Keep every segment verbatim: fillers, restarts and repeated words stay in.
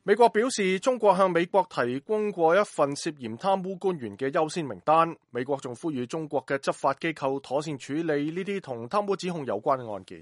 美國表示，中國向美國提供過一份涉嫌貪污官員嘅優先名單。美國仲呼籲中國嘅執法機構妥善處理呢啲同貪污指控有關嘅案件。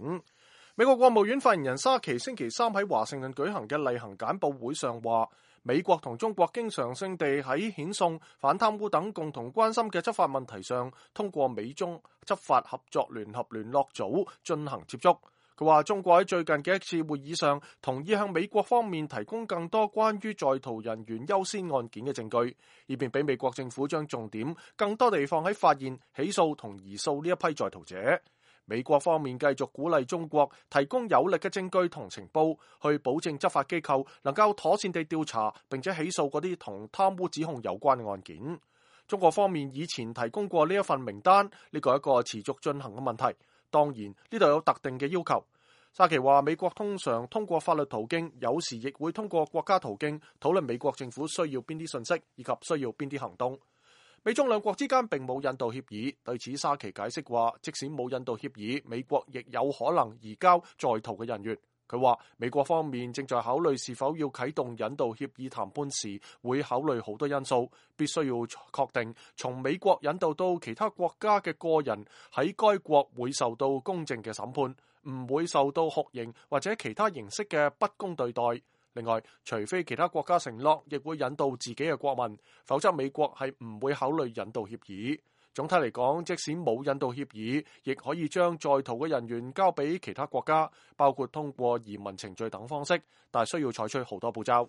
美國國務院發言人沙奇星期三喺華盛頓舉行嘅例行簡報會上話，美國同中國經常性地喺遣送、反貪污等共同關心嘅執法問題上，通過美中執法合作聯合聯絡組進行接觸。佢話中國喺最近嘅一次會議上同意向美國方面提供更多關於在逃人員優先案件嘅證據，以便俾美國政府將重點更多地放喺發現、起訴同移訴呢一批在逃者。美國方面繼續鼓勵中國提供有力嘅證據同情報，去保證執法機構能夠妥善地調查並且起訴嗰啲同貪污指控有關嘅案件。中國方面以前提供過呢一份名單，呢個係一個持續進行嘅問題。當然呢度有特定嘅要求。沙奇話美國通常通過法律途徑，有時亦會通過國家途徑討論美國政府需要邊啲信息以及需要邊啲行動。美中兩國之間並冇引渡協議，對此沙奇解釋話，即使冇引渡協議，美國亦有可能移交在逃嘅人員。佢話美國方面正在考慮是否要啟動引渡協議談判時，會考慮好多因素，必須要確定從美國引渡到其他國家嘅個人喺該國會受到公正嘅審判，唔會受到酷刑或者其他形式嘅不公對待。另外，除非其他國家承諾亦會引渡自己嘅國民，否則美國係唔會考慮引渡協議。總體嚟講，即使冇引渡協議，亦可以將在逃嘅人員交俾其他國家，包括通過移民程序等方式，但係需要採取好多步驟。